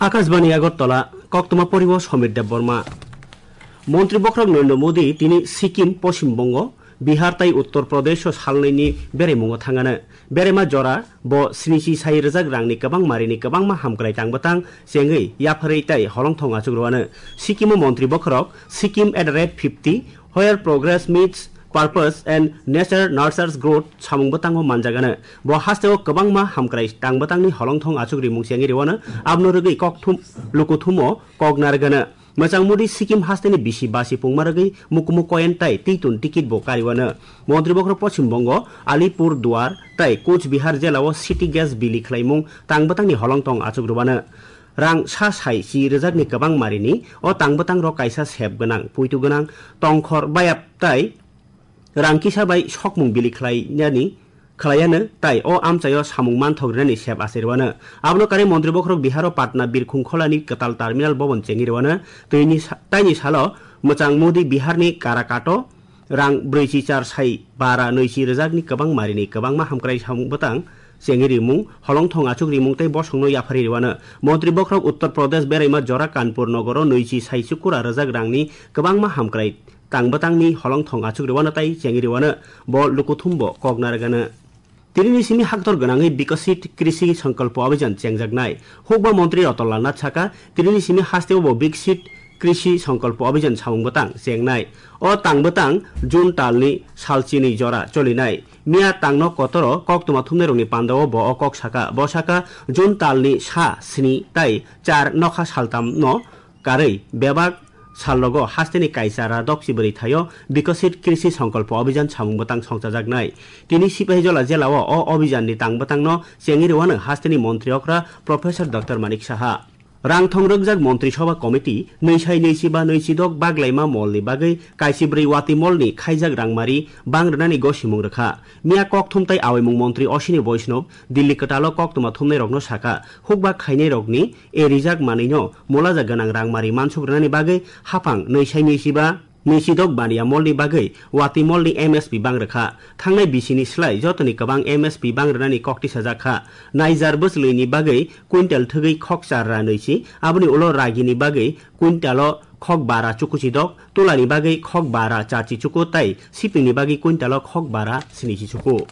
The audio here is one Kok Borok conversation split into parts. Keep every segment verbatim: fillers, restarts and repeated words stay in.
Akashbani Agartala, koktwma poriwo Somir Debbarma. Montri bokhorok Narendra Modi tini Sikkim, Poschim Bongo, Bihar tai Uttar Pradesh o salnaini beraimungo thangano. Beraima jora bo snichi sai rwjak rangni kwbang marini kwbangma hamkrai tangbwtang chengwi yapharwi tai holongthong achuk rwano. Sikkim o montri bokhorok Sikkim at the rate fifty, Where progress meets purpose and nature nurtures growth samung bwtango manjagano. Bo hasteo kwbangma hamkrai tangbwtangni holongthong achuk rimung chengwi rwano, abno rwgwi kokthum lukuthumo kok narwgano. Mwchang Modi Sikkim hasteni bisi basi pungma rwgwi mukumu koyen tai twi tun tikit bo kariwano. Montri bokhorok Poschim Bongo, Alipur Duar tai Kuch Bihar jelao city gas bili khlaimung tangbwtangni holongthong achuk rwano. Rang sa sai chi rwjakni kwbang marini o tangbwtangrok kaisa sep gwnang, puitu gwnang, tongkhor bayap tai rang kisa bai sokmung bili khlainani, khlaiano tai o amchaio samung manthok rinani sep achai rwano. Abono karwi montri bokhorok Biharo Patna Birkhung Kholani kwtal terminal bobon chengwi rwano. Twini sa-, taini salo mwchang Modi Biharni Karakato rang brwichi char sai bara nwichi rwjakni kwbang marini kwbangma hamkrai samung bwtang chengwi rimung, holongthong achuk rimung tei bosongno yapharwi rwano. Montri bokhorok Uttar Pradesh beraima jora Kanpur nogoro nwichi sai chukura rwjak rangni kwbangma hamkrai tangbwtangni holongthong achuk rwano tai chengwi rwano, bo lukuthumbo kok narwgano. Tinini simi haktor gwnangwi Bikasit Krishi Sankalpo Abhijan chengjaknai. Hukba montri Ratan Lal Nath saka, tinini simi hasteo bo Bikasit Krishi Sankalpo Abhijan samung bwtang chengnai. O tang bwtang June talni salchini jora cholinai. Miya tangno kotoro koktwma thumnairokni pandao bo o kok saka. Bo saka, June talni sa, sni tai char nokha saltamno karwi bebak salrogo hasteni kaisa ra dokchi bwrwi thaio Bikasit Krishi Sankalpo Abhijan samung bwtang songchajaknai. Tini Sipahijola jelao o abhijanni tang bwtangno chengwi rwano hasteni montri okra Professor Doctor Manik Saha. Rangthong rwkjak Montri Sobha Committee nwi sai nwi chiba nwi chidok baglaima molni bagwi kaisi bwrwi wati molni khaijak rangmari bang rwnani gosimung rwkha. Miya kokthum tai awaimung montri Ashwini Vaishnaw Delhi kwtalo koktwma thumnairokno saka, hukba khainairokni e rijak manwino molaja gwnang rangmari mansuk rwnani bagwi haphang nwi sai nwi chiba nwi chidok baniya molni bagwi wati molni M S P bang rwkha. Thangnai bisini slai jotoni kwbang M S P bang rwnani kok tisajak kha. Naijar bwchwlwini bagwi quintal thwgwi khok char ra nwi chi, aboni ulo ragini bagwi quintalo khok bara chuku chidok, tulani bagwi khok bara charchi chuku tai sipingni bagwi quintalo khok bara sinichi chuku.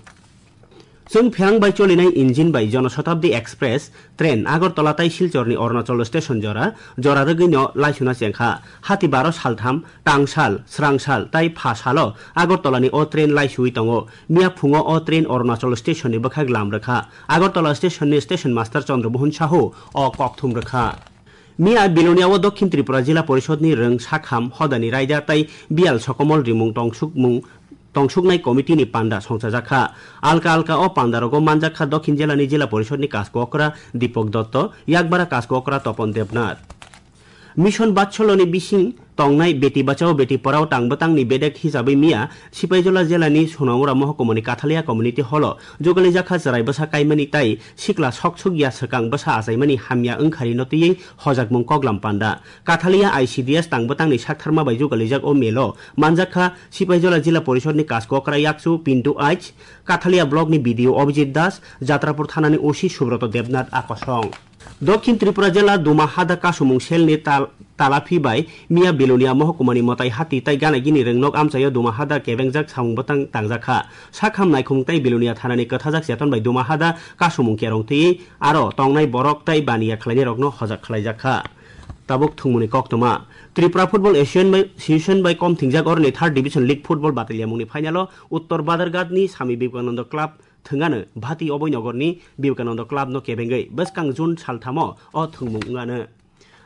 Chwng pherang bai cholinai engine bai Jonoshatabdi Express train Agartala tai Silchorni Arunachal station jora, jora rwgwino laisuna chengkha. Hati baro saltham, tangsal, srangsal tai pha salo Agartalani o train laisui tongo. Miya phungo o train Arunachal stationni bwkhak lam rwkha. Agartala stationni station master Chandra Mohan Sahu o kokthum rwkha. Miya Bilonia o Dokhin Tripura Jila Porishodni rwng sakham hodani raida tai biyal sokomol rimung tongsukmung tongsuknai committee ni panda songchajakha. Alka alka o pandarogo manjakha Dokhin Jilani Jila Porishodni Kasko Okra Deepak Dotto, Yakbara Kasko Okra Topon Debnath. Mission Batsoloni bising tongnai Beti Bachao Beti Padhao tang bwtangni bedek hisabai miya Sipaijola Jilani Sonaura Mohkumani Kathalia Community Hall o jugali jakha chwrai bwsa kaimani tai sikla sok sukya swkang bwsa achaimani hamya wngkharino twiwi hojakmung koklam panda. Kathalia I C D S tang bwtangni saktharma bai jugalijak o melo manjakha Sipaijola Jila Porishodni Kasko Okra Yakchu Pintu H, Kathalia Blockni B D O Abhijit Das, Jatrapur Thanani O C Subroto Debnath Akosong. Dokhin Tripura Jila Duma Hada Kasumung Selni tal-, Talaphi bai Miya Bilonia Mohkumani Motai Hati tai Ganagini Rwngnok amchaio Duma Hada kebengjak samung bwtang tangjakha. Sakham naikhung tai Bilonia Thanani kwthajak cheton bai Duma Hada kasumung kerong twi aro tongnai borok tai baniya khlainairokno hojak khlaijakha. Tabuk thwngmungni koktwma. Tripura Football Association bai, Association bai kom thingjak oroni third Division League Football bataliamungni final-o Uttor Badarghatni Swami Vivekananda Club thwngano Bhati Oboinogorni Vivekananda Club-no kebengwi bwskang June salthamo o thwngmung wngano.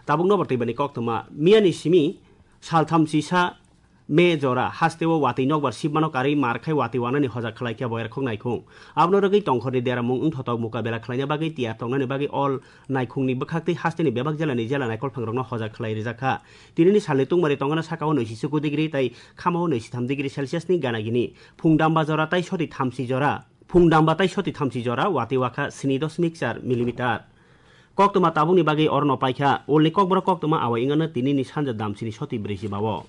Tabukno bo twibani koktwma. Miyani simi saltham chisa May jora hasteo watwi nokbar sibmano karwi mar khai watwi wanani hojak khlai khe boyarkhok naikhung. Abono rwgwi tongkhorni deramung wngthotok mukabela khlaina bagwi tiyar tongnani bagwi all naikhungni bwkhaktwi hasteni bebak jelani jela naikolphangrokno hojak khlai rijak kha. Tinini salni tungmari tongana sakao nwi si chuku degree tai khamao nwi si tham degree Celsius ni ganagini. Phungdamba jora tai soti thamsi jora. Phungdamba tai soti thamsi jora watwi wakha sni dosmik char millimeter. Koktwma tabukni bagwi orono paikha. Ulni kokborok koktwma awai wngano tinini sanja damsini soti brwichi bao.